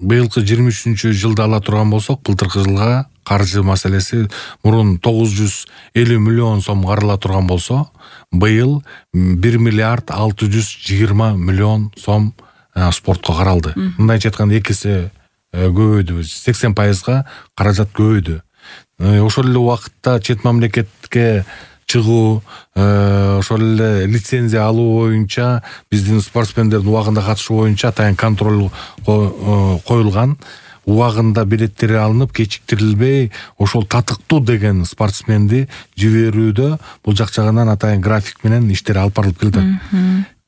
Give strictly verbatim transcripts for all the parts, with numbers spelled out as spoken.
быйылкы жыйырма үчүнчү жылды ала турган болсок, былтыркы жылга каржы маселеси мурун тогуз жүз элүү миллион сом карала турган болсо, быйыл бир миллиард алты жүз жыйырма миллион сом спортко каралды. Мындайча айтканда эки эсе көбөйдү, сексен пайызга каражат көбөйдү. Ошол эле убакытта чет мамлекетке чыгуу, ошол эле лицензия алуу боюнча биздин спортсмендердин убагында катышы боюнча атайын контроль коюлган. Убагында билеттери алынып, кечиктирилбей, ошол татыктуу деген спортсменди жиберүүдө бул жак жагынан атайын график менен иштер алып барылып келди.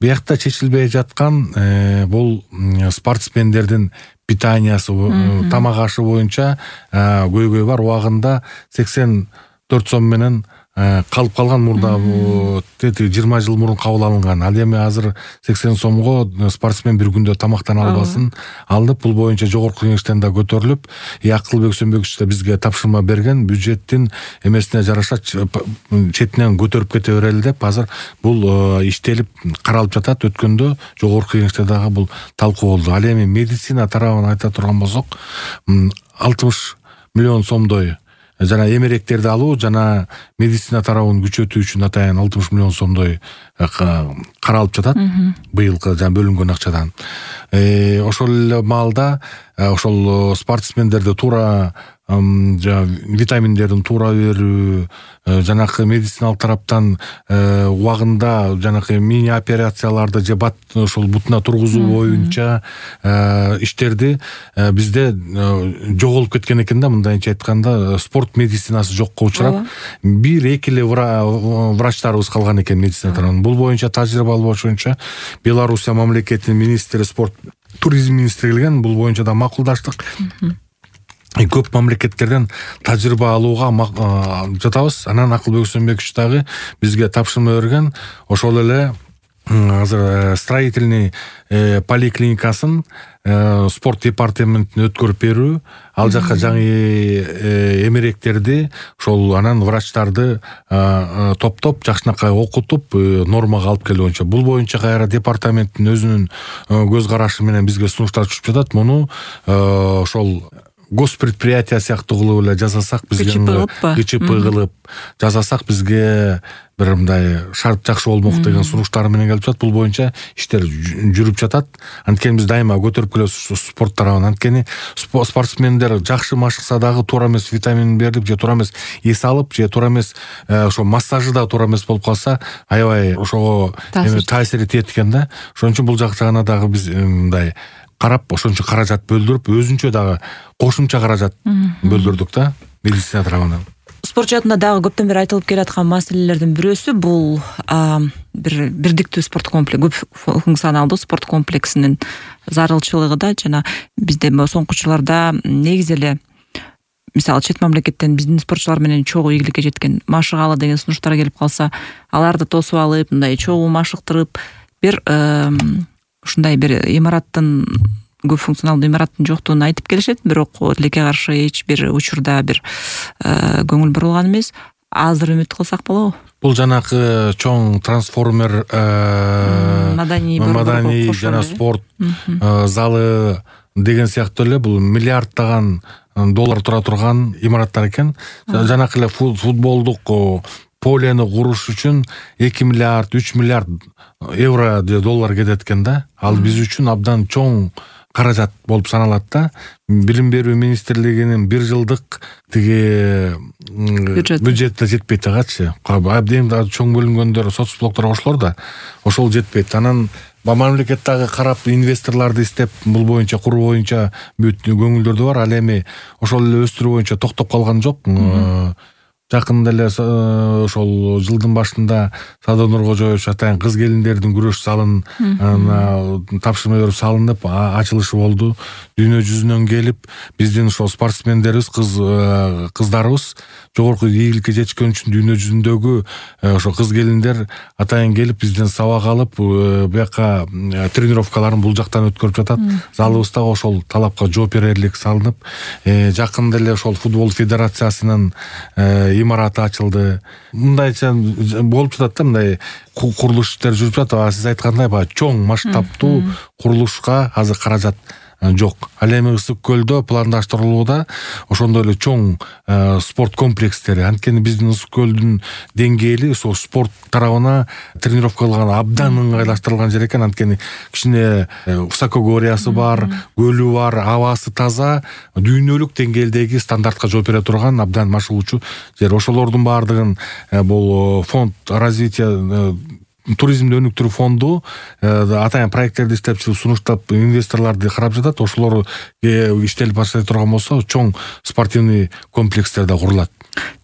Биякта чечилбей жаткан бул спортсмендердин питаниясы, тамак ашы боюнча көйгөй бар. Убагында сексен төрт сом менен калып калган, мурда жыйырма жыл мурун кабыл алынган. Ал эми азыр сексен сомго спортсмен бир күндө тамактана албасын алып, бул боюнча жогорку кеңештен да көтөрүлүп, Акылбек Сөнбекович да бизге тапшырма берген, бюджеттин эмесине жараша четинен көтөрүп кете берели деп, азыр бул иштелип каралып жатат. Өткөндө жогорку кеңеште дагы бул талкуу болду. Ал эми медицина тарабын айта турган болсок, алтымыш миллион сомдой жана эмеректерди алуу жана медицина тарабын күчөтүү үчүн атайын алтымыш миллион сомдой каралып жатат быйылкы жана бөлүнгөн акчадан. Ошол эле маалда ошол спортсмендерди туура витаминдердин туура берүү, жанакы медициналык тараптан убагында жанакы мини операцияларды же бат ошол бутуна тургузуу боюнча иштерди бизде жоголуп кеткен экен да. Мындайча айтканда, спорт медицинасы жокко учурап, бир эки эле врачтарыбыз калган экен медицина тарабынан. Бул боюнча тажрыйба алуу боюнча Белоруссия мамлекетинин министри, спорт туризм министри келген. Бул боюнча да макулдаштык. Көп мамлекеттерден тажрыйба алууга жатабыз. Анан Акылбек Сөнбекович дагы бизге тапшырма берген. Ошол эле азыр строительный поликлиникасын спорт департаментине өткөрүп берүү, ал жакка жаңы эмеректерди, ошол анан врачтарды топтоп, жакшынакай окутуп, нормага алып келүү боюнча. Бул боюнча кайра департаменттин өзүнүн көз карашы менен бизге сунуштар түшүп жатат. Муну ошол госпредприятие сыяктуу кылып эле жасасак, бизге ГЧП кылып жасасак, бизге бир мындай шарт жакшы болмок деген сунуштар менен келип жатат. Бул боюнча иштер жүрүп жатат. Анткени биз дайыма көтөрүп келебиз спорт тарабын. Анткени спортсмендер жакшы машыкса дагы туура эмес витамин берип, же туура эмес эс алып, же туура эмес ошо массажы да туура эмес болуп калса, аябай ошого таасир этет экен да. Ошон үчүн бул жак жагына дагы биз мындай карап, ошончо каражат бөлдүрүп, өзүнчө дагы кошумча каражат бөлдүрдүк да медицина тарабынан. Спорт жаатында дагы көптөн бери айтылып келаткан маселелердин бирөөсү бул бир бирдиктүү спорт комплекс, көп функционалдуу спорт комплексинин зарылчылыгы да. Жана бизде соңку жылдарда негизи эле мисалы чет мамлекеттен биздин спортчулар менен чогуу ийгиликке жеткен машыгалы деген сунуштар келип калса, аларды тосуп алып, мындай чогуу машыктырып, бир ушундай бир имараттын, көп функционалдуу имараттын жоктугун айтып келишет, бирок тилекке каршы эч бир учурда бир көңүл бурулган эмес. Азыр үмүт кылсак болобу? Бул жанакы чоң трансформер маданий жана спорт залы деген сыяктуу эле бул миллиарддаган доллар тура турган имараттар экен. Жанакы эле футболдук полени куруш үчүн эки миллиард, үч миллиард евро же доллар кетет экен да. Ал биз үчүн абдан чоң каражат болуп саналат да. Билим берүү министрлигинин бир жылдык тиги бюджетте жетпейт дагычы. Абдан да чоң бөлүнгөндөр соцблоктор кошулор да, ошол жетпейт. Анан мамлекеттеги карап инвесторлорду издеп, бул боюнча куруу боюнча бүт көңүлдөрдү бар. Ал эми ошол эле өстүрүү боюнча токтоп калган жок. Жакында эле ошол жылдын башында Садыр Нуркожоевич атайын кыз келиндердин күрөш залын тапшырма берип салынып, ачылышы болду. Дүйнө жүзүнөн келип, биздин ошол спортсмендерибиз, кыз кыздарыбыз жогорку ийгиликке жетишкен үчүн дүйнө жүзүндөгү ошо кыз келиндер атайын келип бизден сабак алып, бияка тренировкаларын бул жактан өткөрүп жатат. Залыбызда ошол талапка жооп берерлик салынып, жакында эле ошол футбол федерациясынын имараты ачылды. Мындайча болуп жатат да, мындай курулуш иштери жүрүп жатат. Сиз айткандай, баягы чоң масштабтуу курулушка азыр каражат жок. Ал эми Ысык көлдө пландаштырылууда ошондой эле чоң спорт комплекстери. Анткени биздин Ысык көлдүн деңгээли ошол спорт тарабына тренировка кылган абдан ыңгайлаштырылган жер экен. Анткени кичине высокогорьясы бар, көлү бар, абасы таза, дүйнөлүк деңгээлдеги стандартка жооп бере турган абдан машыгуучу жер. Ошолордун баардыгын бул фонд развития туризмди өнүктүрүү фонду атайын проекттерди иштеп чыгып сунуштап инвесторлорду карап жатат. Ошолор иштелип баштай турган болсо чоң спортивный комплекстер да курулат.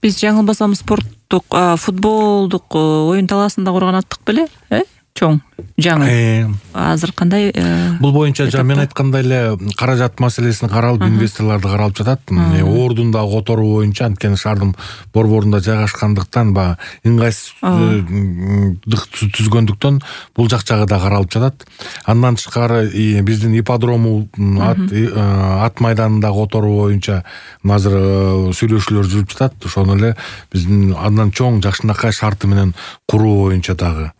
Биз жаңылбасам спорттук футболдук оюн талаасын да курган аттык беле, э? Чоң, жаңы. Азыр кандай? Бул боюнча жана мен айткандай эле каражат маселесин каралып, инвесторлорду каралып жатат. Ордун да которуу боюнча, анткени шаардын борборунда жайгашкандыктан ба ыңгайсыздык түзгөндүктөн бул жак жагы да каралып жатат. Андан тышкары биздин ипподрому ат майданында которуу боюнча азыр сүйлөшүүлөр жүрүп жатат. Ошону эле биздин андан чоң жакшынакай шарты менен куруу боюнча дагы.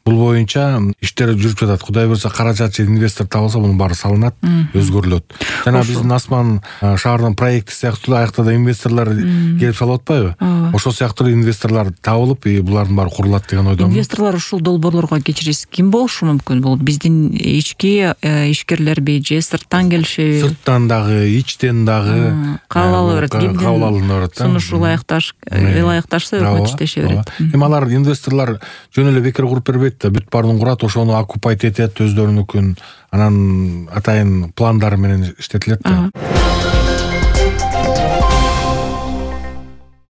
Бул боюнча иштер жүрүп жатат. Кудай буйрса каражат же инвестор табылса, мунун баары салынат, өзгөрүлөт. Жана биздин Асман шаарынын проекти сыяктуу аякта да инвесторлор келип салып атпайбы? Ошол сыяктуу инвесторлор табылып, булардын баары курулат деген ойдомун. Инвесторлор ушул долбоорлорго кечиресиз ким болушу мүмкүн? Бул биздин ички ишкерлерби же сырттан келишеби? Сырттан дагы, ичтен дагы кабыл ала берет. Кабыл алына берет. Сунушу ылайыкташ, ылайыкташса өкмөт иштеше берет. Эми алар инвесторлор жөн эле бекер куруп бербейт да, бүт баарын курат, ошону оккупайт этет, өздөрүнүкүн анан атайын пландары менен иштетилет да.